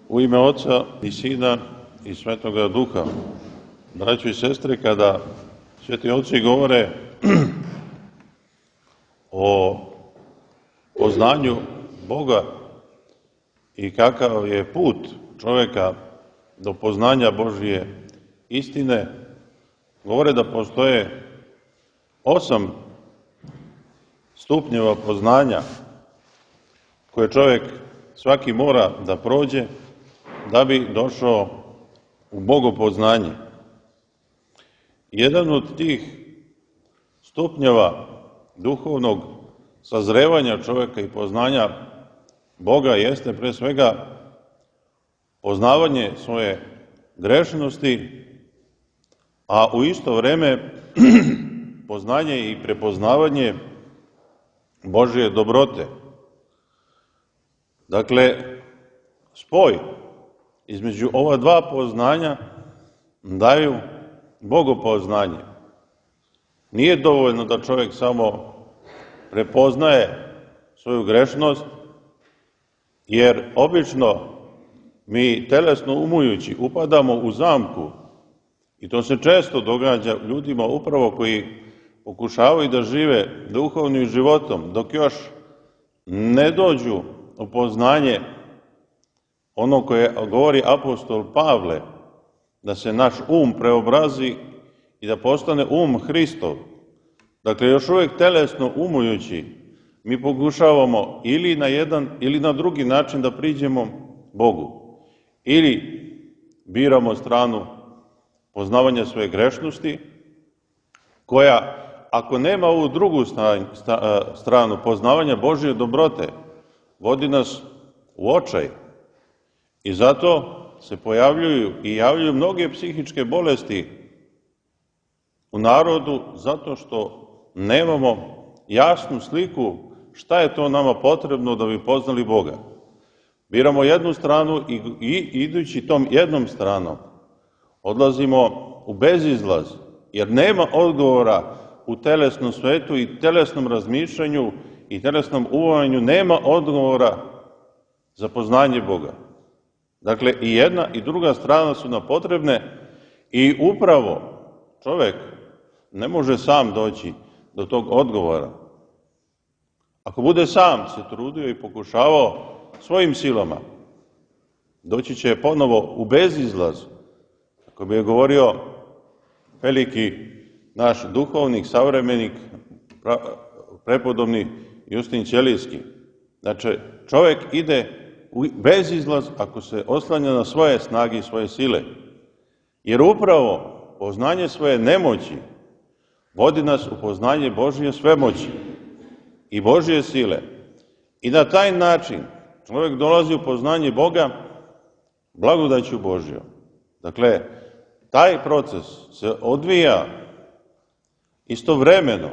U ime Oca i Sina i Svetoga Duha. Braćo i sestre, kada sveti oci govore o poznanju Boga i kakav je put čovjeka do poznanja Božje istine, govore da postoje 8 stupnjeva poznanja koje čovjek svaki mora da prođe da bi došao u bogopoznanje. Jedan od tih stupnjeva duhovnog sazrevanja čovjeka i poznanja Boga jeste pre svega poznavanje svoje grešnosti, a u isto vreme poznanje i prepoznavanje Božje dobrote. Dakle, spoj između ova dva poznanja daju bogopoznanje. Nije dovoljno da čovjek samo prepoznaje svoju grešnost, jer obično mi telesno umujući upadamo u zamku, i to se često događa ljudima upravo koji pokušavaju da žive duhovnim životom, dok još ne dođu u poznanje ono koje govori apostol Pavle, da se naš um preobrazi i da postane um Hristov. Dakle, još uvijek telesno umujući, mi pokušavamo ili na jedan ili na drugi način da priđemo Bogu. Ili biramo stranu poznavanja svoje grešnosti, koja, ako nema ovu drugu stranu poznavanja Božje dobrote, vodi nas u očaj. I zato se pojavljuju i javljaju mnoge psihičke bolesti u narodu, zato što nemamo jasnu sliku šta je to nama potrebno da bi poznali Boga. Biramo jednu stranu i idući tom jednom stranom odlazimo u bezizlaz, jer nema odgovora u telesnom svetu i telesnom razmišljanju i telesnom uvajanju, nema odgovora za poznanje Boga. Dakle, i jedna i druga strana su nam potrebne i upravo čovjek ne može sam doći do tog odgovora. Ako bude sam se trudio i pokušavao svojim silama, doći će ponovo u bezizlaz. Kako bi je govorio veliki naš duhovnik, savremenik, prepodobni Justin Ćelijski. Znači, čovjek ide u bezizlaz ako se oslanja na svoje snage i svoje sile. Jer upravo poznanje svoje nemoći vodi nas u poznanje Božje svemoći i Božje sile. I na taj način čovjek dolazi u poznanje Boga blagodaću Božjom. Dakle, taj proces se odvija istovremeno,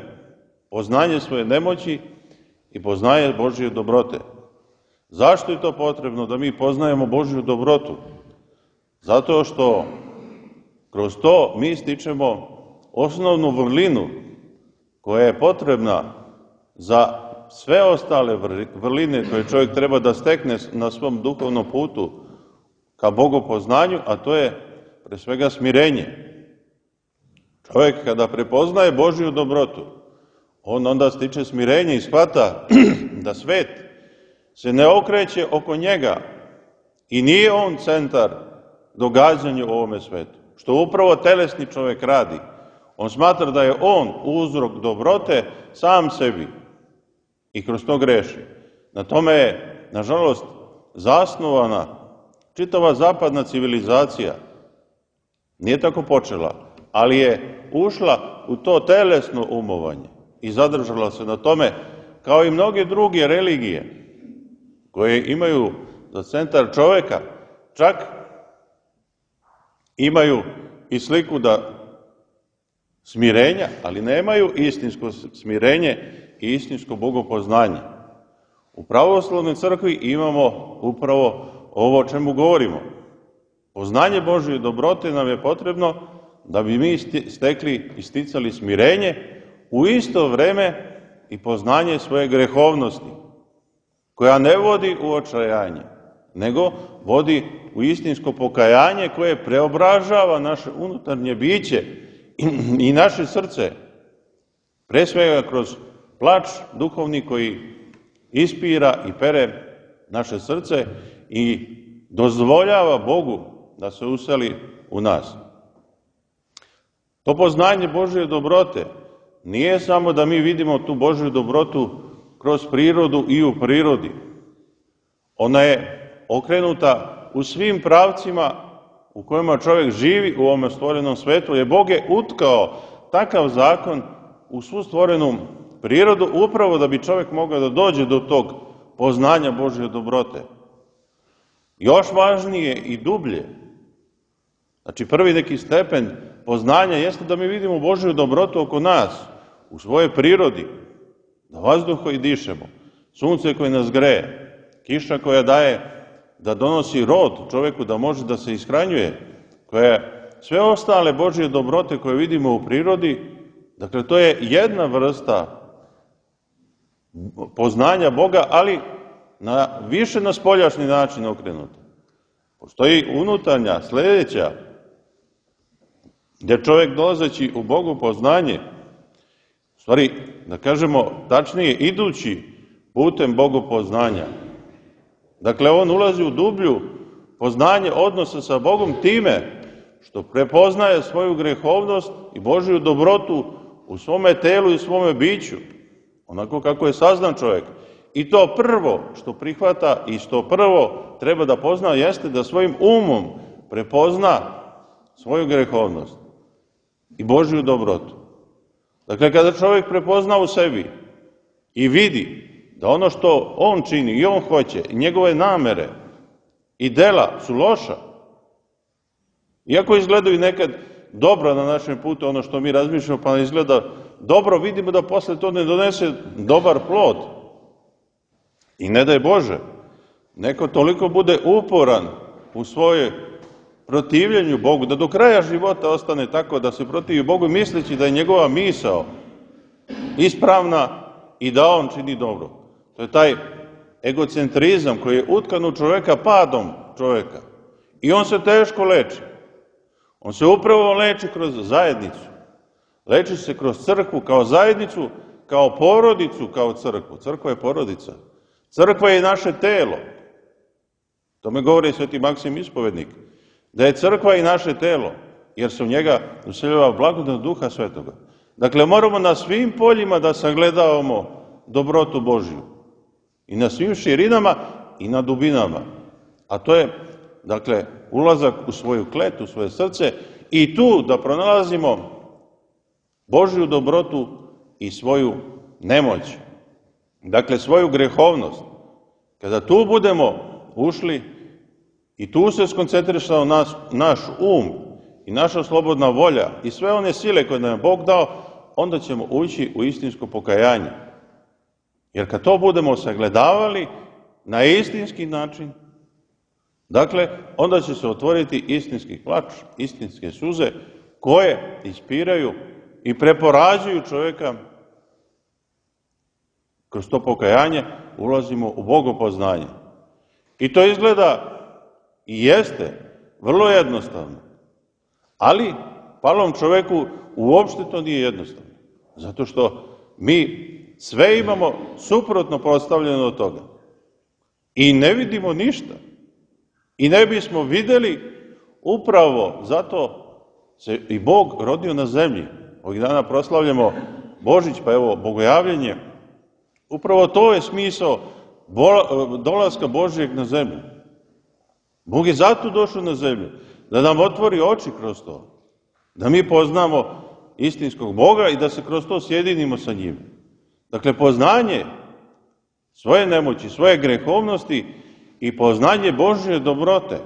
poznanje svoje nemoći i poznanje Božje dobrote. Zašto je to potrebno da mi poznajemo Božju dobrotu? Zato što kroz to mi stičemo osnovnu vrlinu koja je potrebna za sve ostale vrline koje čovjek treba da stekne na svom duhovnom putu ka bogopoznanju, a to je pre svega smirenje. Čovjek kada prepoznaje Božju dobrotu, on onda stiče smirenje i shvata da svet se ne okreće oko njega i nije on centar događanja u ovome svetu. Što upravo telesni čovjek radi. On smatra da je on uzrok dobrote sam sebi i kroz to greši. Na tome je, nažalost, zasnovana čitava zapadna civilizacija. Nije tako počela, ali je ušla u to telesno umovanje i zadržala se na tome, kao i mnoge druge religije koje imaju za centar čovjeka, čak imaju i sliku da smirenja, ali nemaju istinsko smirenje i istinsko bogopoznanje. U pravoslavnoj crkvi imamo upravo ovo o čemu govorimo. Poznanje Božje dobrote nam je potrebno da bi mi stekli i sticali smirenje, u isto vreme i poznanje svoje grehovnosti, koja ne vodi u očajanje, nego vodi u istinsko pokajanje koje preobražava naše unutarnje biće i naše srce. Pre svega kroz plač duhovni koji ispira i pere naše srce i dozvoljava Bogu da se useli u nas. To poznanje Božje dobrote nije samo da mi vidimo tu Božju dobrotu kroz prirodu i u prirodi. Ona je okrenuta u svim pravcima u kojima čovjek živi u ovome stvorenom svetu, jer Bog je utkao takav zakon u svu stvorenu prirodu upravo da bi čovjek mogao da dođe do tog poznanja Božje dobrote. Još važnije i dublje, znači prvi neki stepen poznanja jeste da mi vidimo Božju dobrotu oko nas, u svojoj prirodi, da vazduh koji dišemo, sunce koje nas greje, kiša koja daje da donosi rod čovjeku da može da se ishranjuje, koje sve ostale Božje dobrote koje vidimo u prirodi, dakle to je jedna vrsta poznanja Boga, ali više na spoljašnji način okrenuta. Postoji unutarnja, sljedeća, gdje čovjek dolazeći u Bogu poznanje, u stvari, da kažemo tačnije, idući putem Bogu poznanja, dakle, on ulazi u dublju poznanje odnosa sa Bogom time što prepoznaje svoju grehovnost i Božju dobrotu u svome telu i svome biću, onako kako je saznan čovjek. I to prvo što prihvata i što prvo treba da pozna jeste da svojim umom prepozna svoju grehovnost i Božju dobrotu. Dakle, kada čovjek prepozna u sebi i vidi da ono što on čini i on hoće, i njegove namere i dela su loša, iako izgledaju nekad dobro na našem putu, ono što mi razmišljamo pa izgleda dobro, vidimo da posle to ne donese dobar plod. I ne daj Bože, neko toliko bude uporan u svoje protivljenju Bogu, da do kraja života ostane tako da se protivi Bogu misleći da je njegova misao ispravna i da on čini dobro. To je taj egocentrizam koji je utkan u čoveka padom čoveka. I on se teško leči. On se upravo leči kroz zajednicu. Leči se kroz crkvu kao zajednicu, kao porodicu, kao crkvu. Crkva je porodica. Crkva je i naše telo. To me govori sveti Maksim Ispovednik. Da je crkva i naše telo, jer se u njega useljava blagodat Duha Svetoga. Dakle, moramo na svim poljima da sagledavamo dobrotu Božju. I na svim širinama i na dubinama. A to je, dakle, ulazak u svoju klet, u svoje srce i tu da pronalazimo Božju dobrotu i svoju nemoć. Dakle, svoju grehovnost. Kada tu budemo ušli i tu se skoncentrišao naš um i naša slobodna volja i sve one sile koje nam je Bog dao, onda ćemo ući u istinsko pokajanje. Jer kad to budemo sagledavali na istinski način, dakle, onda će se otvoriti istinski plač, istinske suze koje ispiraju i preporađuju čovjeka. Kroz to pokajanje ulazimo u bogopoznanje. I to izgleda i jeste vrlo jednostavno. Ali palom čovjeku uopšte to nije jednostavno. Zato što mi sve imamo suprotno postavljeno od toga. I ne vidimo ništa. I ne bismo videli, upravo zato se i Bog rodio na zemlji. Ovih dana proslavljamo Božić, pa evo, bogojavljenje. Upravo to je smisao dolaska Božijeg na zemlju. Bog je zato došao na zemlju, da nam otvori oči kroz to. Da mi poznamo istinskog Boga i da se kroz to sjedinimo sa njim. Dakle, poznanje svoje nemoći, svoje grehovnosti i poznanje Božje dobrote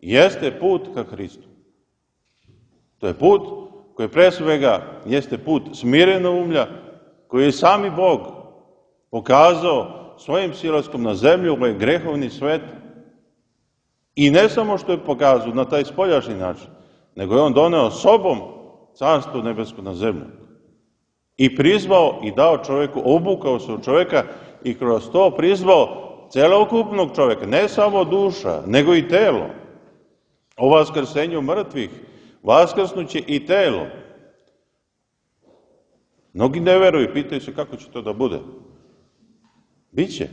jeste put ka Hristu. To je put koji pre svega jeste put smirenoumlja, koji je sami Bog pokazao svojim silaskom na zemlju, ovaj grehovni svet. I ne samo što je pokazao na taj spoljašnji način, nego je on doneo sobom carstvo nebesko na zemlju. I prizvao i dao čovjeku, obukao se u čovjeka i kroz to prizvao celokupnog čovjeka, ne samo duša, nego i telo. O vaskrsenju mrtvih vaskrsnuće i telo. Mnogi ne veruju, pitaju se kako će to da bude. Biće.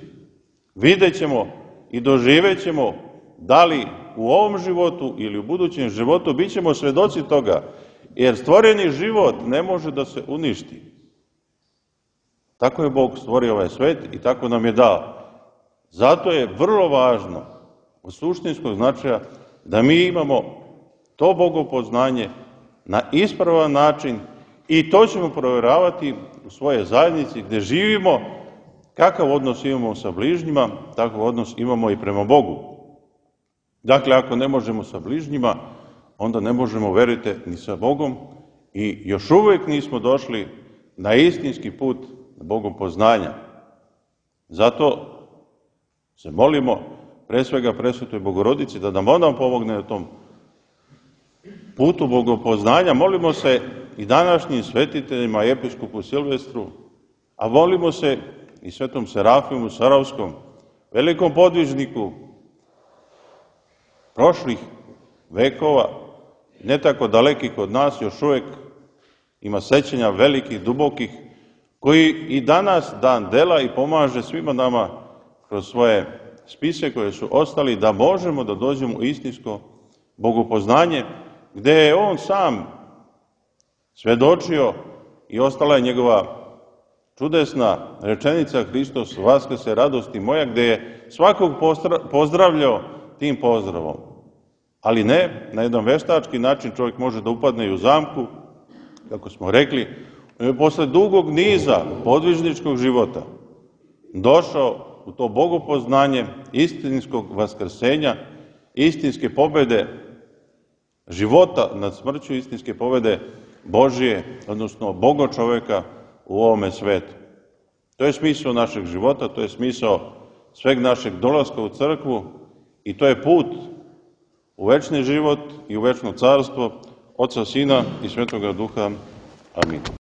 Vidjet ćemo i doživjet ćemo da li u ovom životu ili u budućem životu, bit ćemo svedoci toga, jer stvoreni život ne može da se uništi. Tako je Bog stvorio ovaj svet i tako nam je dao. Zato je vrlo važno, od suštinskog značaja, da mi imamo to bogopoznanje na ispravan način i to ćemo provjeravati u svojoj zajednici gdje živimo, kakav odnos imamo sa bližnjima, takav odnos imamo i prema Bogu. Dakle, ako ne možemo sa bližnjima, onda ne možemo, verujte, ni sa Bogom i još uvijek nismo došli na istinski put bogopoznanja. Zato se molimo, pre svega presvetoj Bogorodici, da nam ona pomogne na tom putu bogopoznanja. Molimo se i današnjim svetiteljima, episkopu Silvestru, a molimo se i svetom Serafimu Saravskom, velikom podvižniku prošlih vekova, ne tako dalekih od nas, još uvijek ima sećanja velikih, dubokih, koji i danas dan dela i pomaže svima nama kroz svoje spise koje su ostali, da možemo da dođemo u istinsko bogopoznanje, gde je on sam svedočio i ostala je njegova čudesna rečenica Hristos vaskrse, radosti moja, gde je svakog pozdravljao tim pozdravom. Ali ne, na jedan veštački način čovjek može da upadne i u zamku, kako smo rekli, posle dugog niza podvižničkog života došao u to bogopoznanje istinskog vaskrsenja, istinske pobede života nad smrću, istinske pobede Božije, odnosno Boga čoveka u ovome svetu. To je smisao našeg života, to je smisao sveg našeg dolaska u crkvu i to je put u večni život i u večno carstvo Oca, Sina i Svetoga Duha. Amin.